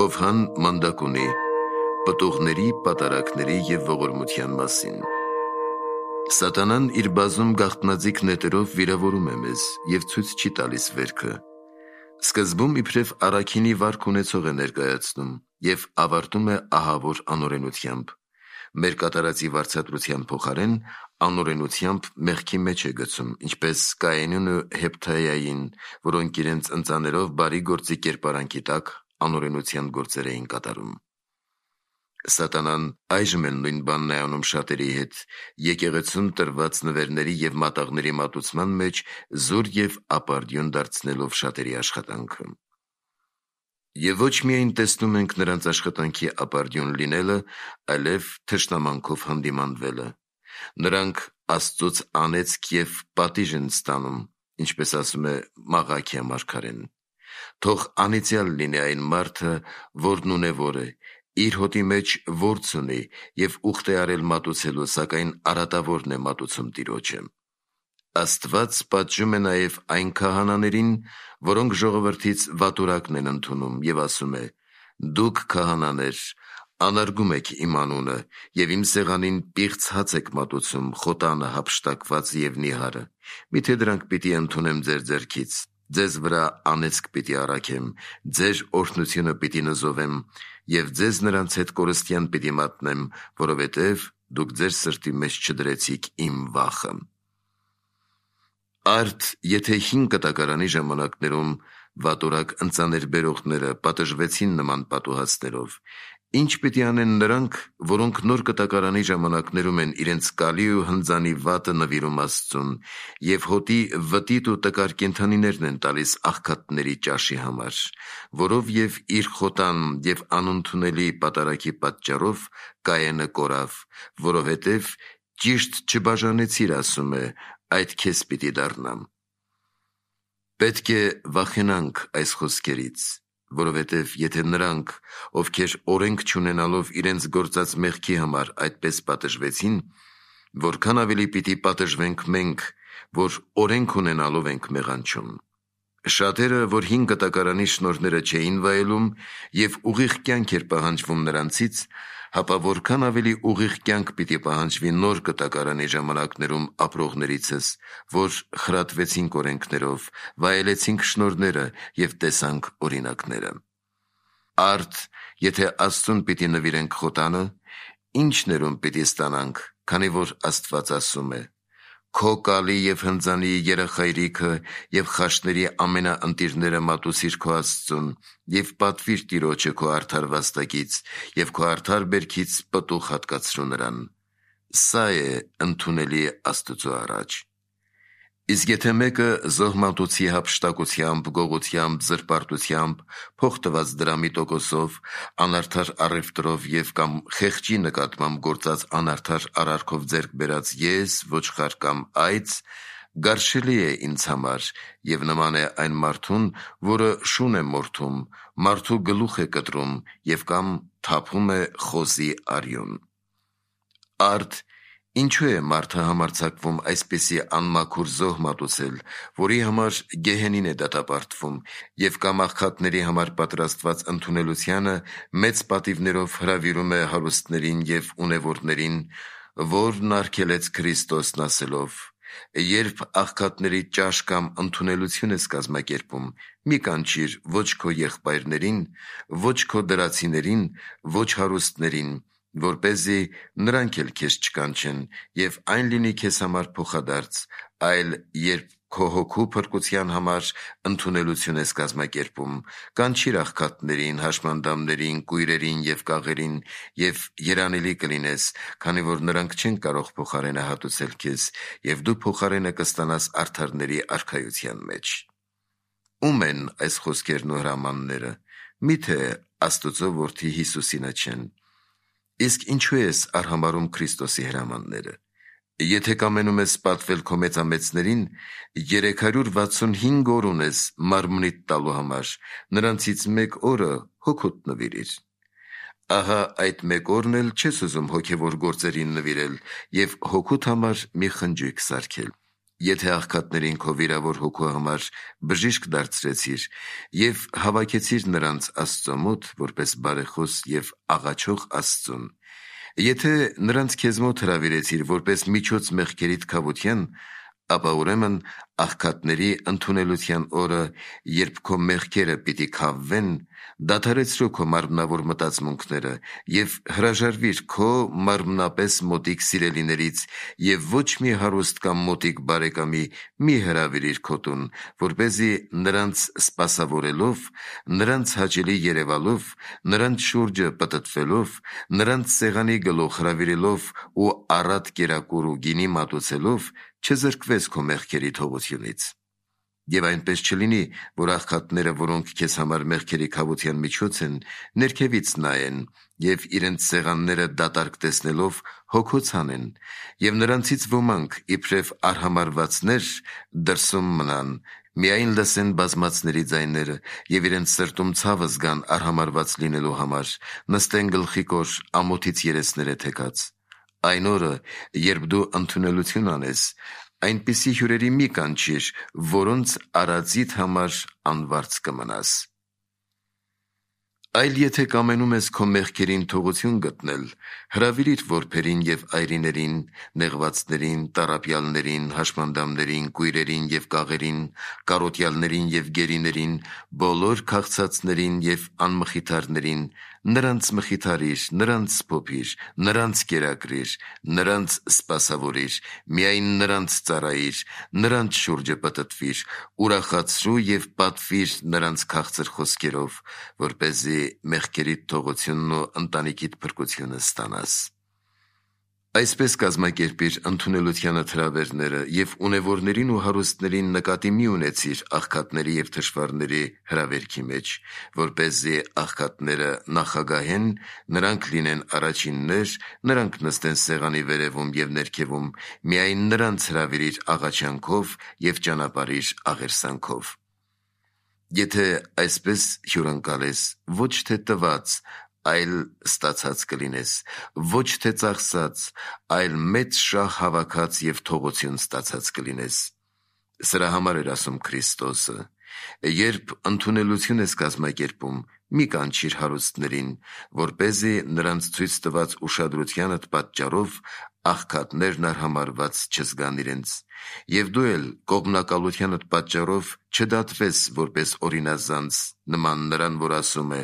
Հովհան մանդակ ունի պտուղների, պատարակների և ողորմության մասին։ Սատանան իր բազում գաղտնաձիգ նետերով վիրավորում է մեզ և ցույց չի տալիս վերքը։ Սկզբում իբրև առաքինի վարք ունեցող է ներկայացնում և ավարտում է ահավոր անօրենությամբ։ Մեր կատարածի վարձատրության փոխարեն անօրենությամբ մեղքի մեջ է գցում, ինչպես Կայենին ու Հեփթայային, որոնք իրենց ընծաներով բարի գործի կերպարանքի տակ անօրենության գործեր էին կատարում։ Սատանան այժմ էլ նույն բանն է անում շատերի հետ, եկեղեցուն տրված նվերների և մատաղների մատուցման մեջ զուր և ապարդյուն դարձնելով շատերի աշխատանքը։ Եվ ոչ միայն տեսնում ենք նրանց աշխատանքի ապարդյուն լինելը, այլև թշնամանքով հանդիմանվելը։ Նրանք Աստծուց անեծք և պատիժ են ստանում, ինչպես ասում է Մաղաքիա մարգարեն։ Թող անիծյալ լինի այն մարդը, որն ունևոր է, իր հոտի մեջ որձ ունի և ուխտ է արել մատուցելու, սակայն արատավորն է մատուցում Տիրոջը։ Աստված պատժում է նաև այն քահանաներին, որոնք ժողովրդից վատուրակն են ընդունում և ասում է. «Դուք քահանաներ, անարգում եք իմ անունը և իմ սեղանին պիղծ հաց եք մատուցում, խոտանը, հափշտակված և նիհարը։ Միթե դրանք պիտի ընդունեմ ձեր ձեռքից, ձեզ վրա անեծք պիտի առաքեմ, ձեր օրհնությունը պիտի նզովեմ և ձեզ նրանց հետ կորստյան պիտի մատնեմ, որովհետև դուք ձեր սրտի մեջ չդրեցիք իմ վախը»։ Արդ եթե հին կտակարանի ժամանակներում վատորակ ընծաներ բերողները պատժվեցին նման պատուհասներով, ինչ պիտի անեն նրանք, որոնք նոր կտակարանի ժամանակներում են իրենց կալի ու հնձանի վատը նվիրում Աստծուն և հոտի վտիտ ու տկար կենդանիներն են տալիս աղքատների ճաշի համար, որով և իր խոտան և անընդունելի պատարագի պատճառով Կայենը կորավ, որովհետև ճիշտ չբաժանեցիր, ասում է, այդ քեզ պիտի դառնա։ Պետք է վախենանք այս խոսքերից, որովհետև եթե նրանք, ովքեր օրենք չունենալով իրենց գործած մեղքի համար այդպես պատժվեցին, որքան ավելի պիտի պատժվենք մենք, որ օրենք ունենալով ենք մեղանչում։ Շատերը, որ հին կտակարանի շնորհները չէին վայելում և ուղիղ կյանք էր պահանջվում նրանցից, հապա որքան ավելի ուղիղ կյանք պիտի պահանջվի նոր կտակարանի ժամանակներում ապրողներիցս, որ խրատվեցինք օրենքներով, վայելեցինք շնորհները և տեսանք օրինակները։ Արդ եթե Աստծուն պիտի նվիրենք խոտանը, ինչ ներում պիտի ստանանք, քանի որ Աստված ասում է. «Քո կալի և հնձանի երախայրիքը և խաշների ամենաընտիրները մատուցիր քո Աստծուն և պատվիր Տիրոջը քո արդար վաստակից և քո արդար բերքից պտուղ հատկացրու նրան»։ Սա է ընդունելի Աստծու առաջ։ Իսկ եթե մեկը զոհմատուցի հափշտակությամբ, գողությամբ, զրպարտությամբ, փող տված դրամի տոկոսով, անարդար առևտրով և կամ խեղճի նկատմամբ գործած անարդար արարքով ձեռք բերած ես, ոչխար կամ այծ, գարշելի է ինձ համար և նման է այն մարդուն, որը շուն է մորթում, մարդու գլուխ է կտրում և կամ թափում է խոզի արյուն։ Արդ ինչու է մարդը համարձակվում այսպիսի անմաքուր զոհ մատուցել, որի համար գեհենին է դատապարտվում և կամ աղքատների համար պատրաստված ընդունելությանը մեծ պատիվներով հրավիրում է հարուստներին և ունևորներին, որն արգելեց Քրիստոսն ասելով. «Երբ աղքատների ճաշ կամ ընդունելություն ես կազմակերպում, մի կանչիր ոչ քո եղբայրներին, ոչ քո դրացիներին, ոչ հարուստներին, որպեսզի նրանք էլ քեզ չկանչեն, և այն լինի քեզ համար փոխադարձ, այլ երբ քո հոգու փրկության համար ընդունելություն ես կազմակերպում, կանչիր աղքատներին, հաշմանդամներին, կույրերին և կաղերին, և երանելի կլինես, քանի որ նրանք չեն կարող փոխարենը հատուցել քեզ, և դու փոխարենը կստանաս արդարների արքայության մեջ»։ Ո՞ւմ են այս խոսքերն ու հրամանները։ Միթե Աստծու որդի Հիսուսինը չեն։ Իսկ ինչու ես արհամարհում Քրիստոսի հրամանները։ Եթե կամենում ես պատվել քո մեծամեծներին, 365 օր ունես մարմնիդ տալու համար, նրանցից մեկ օրը հոգուդ նվիրիր։ Ահա այդ մեկ օրն էլ չես ուզում հոգևոր գործերին նվիրել և հոգուդ համար մի խնջույք սարքել։ Եթե աղքատներին քո վիրավոր հոգու համար բժիշկ դարձրեցիր և հավաքեցիր նրանց Աստծո մոտ որպես բարեխոս և աղաչող Աստծուն, եթե նրանց քեզ մոտ հրավիրեցիր որպես միջոց մեղքերիդ քավության, ապա ուրեմն աղքատների ընդունելության օրը, երբ քո մեղքերը պիտի քավվեն, դադարեցրու քո մարմնավոր մտածմունքները և հրաժարվիր քո մարմնապես մոտիկ սիրելիներից և ոչ մի հարուստ կամ մոտիկ բարեկամի մի հրավիրիր քո տուն, որպեսզի նրանց սպասավորելով, նրանց հաճելի երևալով, նրանց շուրջը պտտվելով, նրանց սեղանի գլուխ հրավիրելով ու առատ կերակուր ու գինի մատուցելով, չզրկվես քո մեղքերի թողությունից։ Եվ այնպես չլինի, որ աղքատները, որոնք քեզ համար մեղքերի քավության միջոց են, ներքևից նայեն և իրենց սեղանները դատարկ տեսնելով հոգոց հանեն, և նրանցից ոմանք, իբրև արհամարհվածներ, դրսում մնան, միայն լսեն բազմացների ձայները և իրենց սրտում ցավը զգան արհամարհված լինելու համար, նստեն գլխիկոր ամոթից երեսները թեքած։ Այն օրը, երբ դու ընդունելություն անես, այնպիսի հյուրերի մի կանչիր, որոնց արածիդ համար անվարձ կմնաս։ Այլ եթե կամենում ես քո մեղքերին թողություն գտնել, հրավիրիր որբերին և այրիներին, նեղվածներին, տառապյալներին, հաշմանդամներին, կույրերին և կաղերին, կարոտյալներին և գերիներին, բոլոր քաղցածներին և անմխիթարներին, նրանց մխիթարիր, նրանց սփոփիր, նրանց կերակրիր, նրանց սպասավորիր, միայն նրանց ծառայիր, նրանց շուրջը պտտվիր, ուրախացրու և պատվիր նրանց քաղցր խոսքերով, որպեսզի մեղքերիդ թողությունն ու ընտանիքիդ փրկությունը ստանաս։ Այսպես կազմակերպիր ընդունելությանդ հրավերները և ունևորներին ու հարուստներին նկատի մի ունեցիր աղքատների և թշվառների հրավերքի մեջ, որպեսզի աղքատները նախագահեն, նրանք լինեն առաջիններ, նրանք նստեն սեղանի վերևում և ներքևում, միայն նրանց հրավիրիր աղաչանքով և ճանապարհիր աղերսանքով։ Եթե այսպես հյուրընկալես, ոչ թե տված, այլ ստացած կլինես, ոչ թե ծախսած, այլ մեծ շահ հավաքած և թողություն ստացած կլինես։ Սրա համար էր ասում Քրիստոսը. երբ ընդունելություն ես կազմակերպում, մի կանչիր հարուստներին, որպեսզի նրանց ցույց տված ուշադրությանդ պատճառով աղքատներն արհամարհված չզգան իրենց, և դու էլ կողմնակալությանդ պատճառով չդատվես որպես օրինազանց, նման նրան, որ ասում է.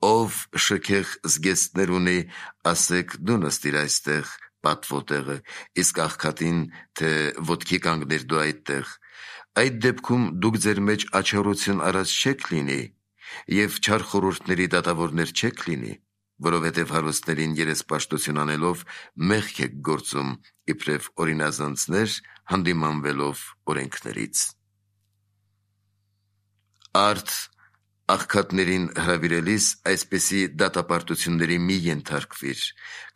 «Ով շքեղ զգեստներ ունի, ասեք դու նստիր այստեղ պատվո տեղը, իսկ աղքատին, թե ոտքի կանգնիր դու այդտեղ։ Այդ դեպքում դուք ձեր մեջ աչառություն արած չեք լինի և չար խորհուրդների դատավորներ չեք լինի, որովհետև հարուստներին երեսպաշտություն անելով մեղք եք գործում, իբրև օրինազանցներ, հանդիմանվելով օրենքներից»։ Արդ աղքատներին հրավիրելիս այսպիսի դատապարտությունների մի ենթարկվիր,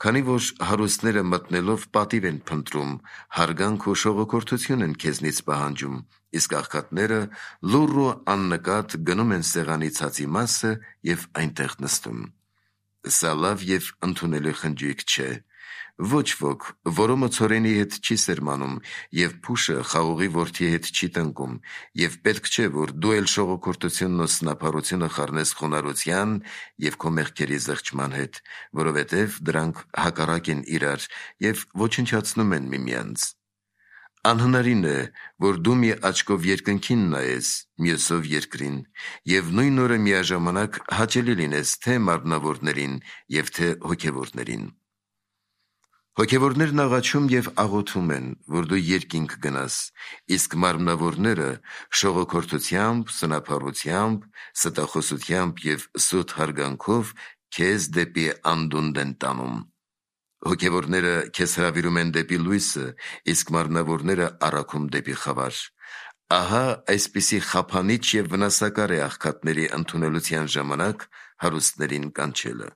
քանի որ հարուստները մտնելով պատիվ են փնտրում, հարգանք ու շողոքորթություն են քեզնից պահանջում, իսկ աղքատները լուռ ու աննկատ գնում են սեղանի ցածի մասը և այնտեղ նստում։ Սա լավ և ընդունելի խնջույք չէ։ Ոչ ոք որոմը ցորենի հետ չի սերմանում և փուշը խաղողի որդի հետ չի տնկում, և պետք չէ, որ դու էլ շողոքորթությունն ու սնափառությունը խառնես խոնարհության և քո մեղքերի զղջման հետ, որովհետև դրանք հակառակ են իրար և ոչնչացնում են միմյանց։ Անհնարին է, որ դու մի աչքով երկնքին նայես, մյուսով երկրին, և նույն օրը միաժամանակ հաճելի լինես թե մարմնավորներին և թե հոգևորներին։ Հոգևորներն աղաչում և աղոթում են, որ դու երկինք գնաս, իսկ մարմնավորները շողոքորթությամբ, սնափառությամբ, ստախոսությամբ և սուտ հարգանքով քեզ դեպի անդունդն են տանում։ Հոգևորները քեզ հրավիրում են դեպի լույսը, իսկ մարմնավորները առաքում դեպի խավար։ Ահա այսպիսի խափանիչ և վնասակար է աղքատների ընդունելության ժամանակ հարուստներին կանչելը։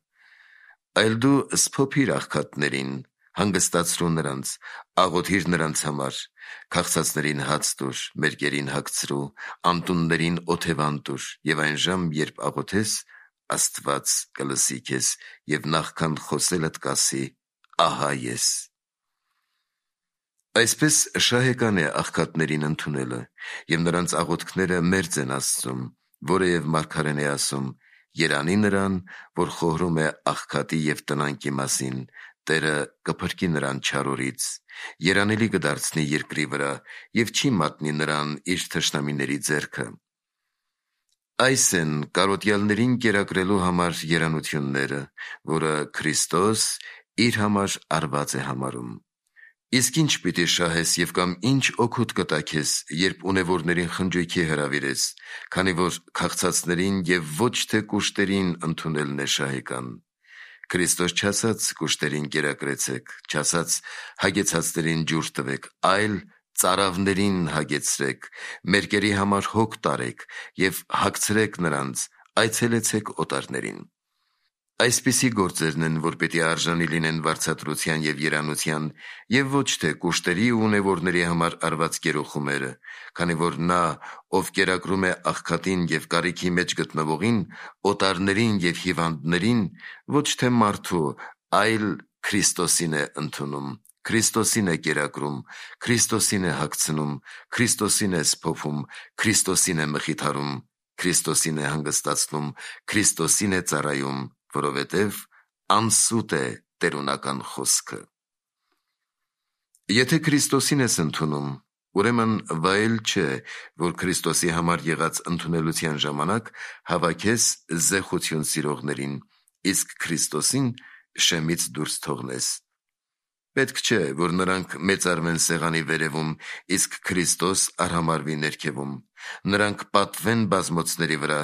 Այլ դու սփոփիր աղքատներին, հանգստացրու նրանց, աղոթիր նրանց համար, քաղցածներին հաց տուր, մերկերին հագցրու, անտուններին օթևան տուր, և այն ժամ, երբ աղոթես, Աստված կլսի քեզ և նախքան խոսելդ կասի. «Ահա ես»։ Այսպես շահեկան է աղքատներին ընդունելը, և նրանց աղոթքները մերձ են Աստծուն, որովհետև մարգարեն է ասում. «Երանի նրան, որ խորհում է աղքատի և տնանկի մասին, Տերը կփրկի նրան չար օրից, երանելի կդարձնի երկրի վրա և չի մատնի նրան իր թշնամիների ձեռքը»։ Այս են կարոտյալներին կերակրելու համար երանությունները, որը Քրիստոս իր համար արված է համարում։ Իսկ ինչ պիտի շահես և կամ ինչ օգուտ կտա քեզ, երբ ունևորներին խնջույքի հրավիրես, քանի որ քաղցածներին և ոչ թե կուշտերին ընդունելն է շահեկան։ Քրիստոս չասաց կուշտերին կերակրեցեք, չասաց հագեցածներին ջուր տվեք, այլ ծարավներին հագեցրեք, մերկերի համար հոգ տարեք և հագցրեք նրանց, այցելեցեք օտարներին։ Այսպիսի գործերն են, որ պիտի արժանի լինեն վարձատրության և երանության, և ոչ թե կուշտերի ու ունևորների համար արված գերոխումերը, քանի որ նա, ով կերակրում է աղքատին և կարիքի մեջ գտնվողին, օտարներին և հիվանդներին, ոչ թե մարդու, այլ Քրիստոսին է ընդունում, Քրիստոսին է կերակրում, Քրիստոսին է հագցնում, Քրիստոսին է սփոփում, Քրիստոսին է մխիթարում, Քրիստոսին է հանգստացնում, Քրիստոսին է ծառայում, որովհետև անսուտ է տերունական խոսքը։ Եթե Քրիստոսին ես ընդունում, ուրեմն վայել չէ, որ Քրիստոսի համար եղած ընդունելության ժամանակ հավաքես զեխություն սիրողներին, իսկ Քրիստոսին շեմից դուրս թողնես։ Պետք չէ, որ նրանք մեծարվեն սեղանի վերևում, իսկ Քրիստոս արհամարվի ներքևում։ Նրանք պատվեն բազմոցների վրա,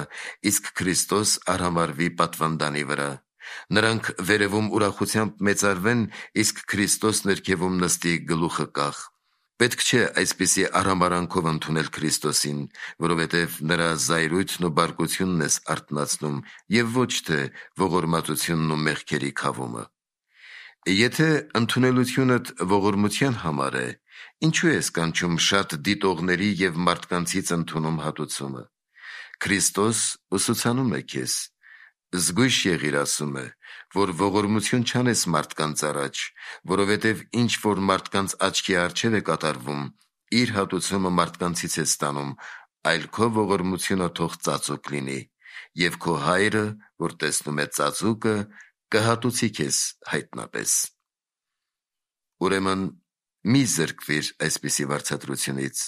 իսկ Քրիստոս արհամարվի պատվանդանի վրա։ Նրանք վերևում ուրախությամբ մեծարվեն, իսկ Քրիստոս ներքևում նստի գլուխը կախ։ Պետք չէ այսպիսի արհամարանքով ընդունել Քրիստոսին, որովհետև նրա զայրույթն ու բարկությունն ես արթնացնում և ոչ թե ողորմածությունն ու մեղքերի քավումը։ Եթե ընդունելությունդ ողորմության համար է, ինչու ես կանչում շատ դիտողների և մարդկանցից ընդունում հատուցումը։ Քրիստոս ուսուցանում է քեզ։ Զգույշ եղիր, ասում է, որ ողորմություն չանես մարդկանց առաջ, որովհետև ինչ որ մարդկանց աչքի առջև է կատարվում, իր հատուցումը մարդկանցից ես ստանում, այլ քո ողորմությունը թող ծածուկ լինի, և քո Հայրը, որ տեսնում է ծածուկը, կհատուցի քեզ հայտնապես։ Ուրեմն մի զրկվիր այսպիսի վարձատրությունից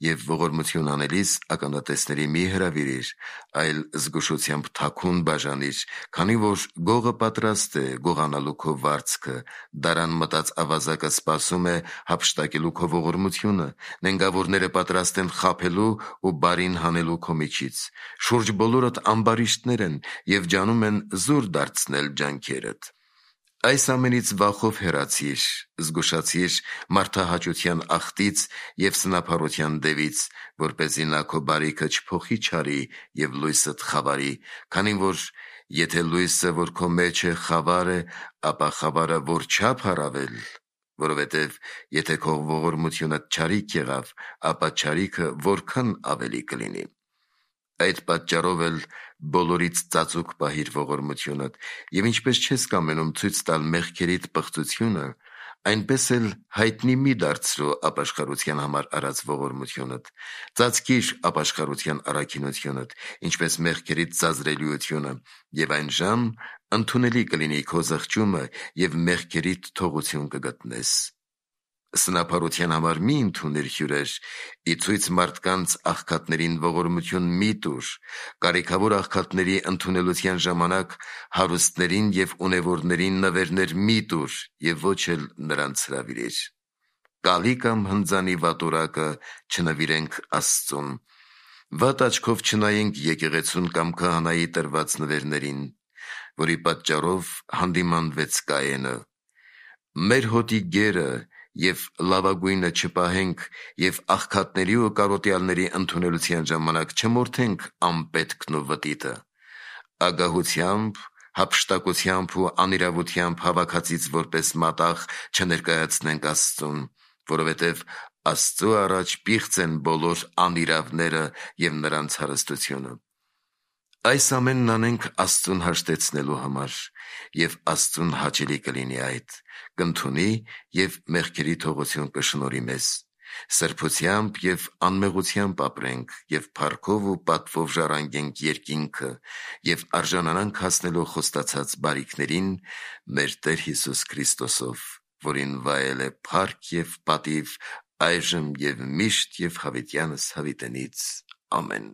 և ողորմություն անելիս ականատեսների մի հրավիրիր, այլ զգուշությամբ թաքուն բաժանիր, քանի որ գողը պատրաստ է գողանալու քո վարձքը, դարան մտած ավազակը սպասում է հափշտակելու քո ողորմությունը, նենգավորները պատրաստ են խաբելու ու բարին հանելու քո միջից, շուրջ բոլորդ ամբարիշտներ են և ջանում են զուր դարձնել ջանքերդ։ Այս ամենից վախով հեռացիր, զգուշացիր մարդահաճության աղտից և սնափառության դևից, որպեսզի նա քո բարիքը չփոխի չարի և լույսդ խավարի, քանի որ եթե լույսը, որ քո մեջ է, խավար է, ապա խավարը որչափ առավել, որովհետև եթե քո ողորմությունը չարիք եղավ, ապա չարիքը որքան ավելի կլինի։ Այդ պատճառով էլ բոլորից ծածուկ պահիր ողորմությունդ, և ինչպես չես կամենում ցույց տալ մեղքերիդ պղծությունը, այնպես էլ հայտնի մի դարձրու ապաշխարության համար արած ողորմությունդ։ Ծածկիր ապաշխարության առաքինությունդ, ինչպես մեղքերիդ ծազրելիությունը, և այն ժամ ընդունելի կլինի քո զղջումը և մեղքերիդ թողություն կգտնես։ Սնափառության համար մի ընդունիր հյուրեր, ի ցույց մարդկանց աղքատներին ողորմություն մի տուր, կարիքավոր աղքատների ընդունելության ժամանակ հարուստներին և ունևորներին նվերներ մի տուր և ոչ էլ նրանց հրավիրիր։ Կալի կամ հնձանի վատորակը չնվիրենք Աստծուն։ Վատ աչքով չնայենք եկեղեցուն կամ քահանայի տրված նվերներին, որի պատճառով հանդիմանվեց Կայենը։ Մեր հոտի գերը և լավագույնը չպահենք և աղքատների ու կարոտյալների ընդունելության ժամանակ չմորթենք անպետքն ու վտիտը։ Ագահությամբ, հափշտակությամբ ու անիրավությամբ հավաքածից որպես մատաղ չներկայացնենք Աստծուն, որովհետև Աստծու առաջ պիղծ են բոլոր անիրավները և նրանց հարստությունը։ Այս ամենն անենք Աստծուն հաշտեցնելու համար, և Աստծուն հաճելի կլինի այդ, կընդունի և մեղքերի թողություն կշնորհի մեզ, սրբությամբ և անմեղությամբ ապրենք և փառքով ու պատվով ժառանգենք երկինքը և արժանանանք հասնելու խոստացած բարիքներին մեր Տեր Հիսուս Քրիստոսով, որին վայել է փառք և պատիվ այժմ և միշտ և հավիտյանս հավիտենից։ Ամեն։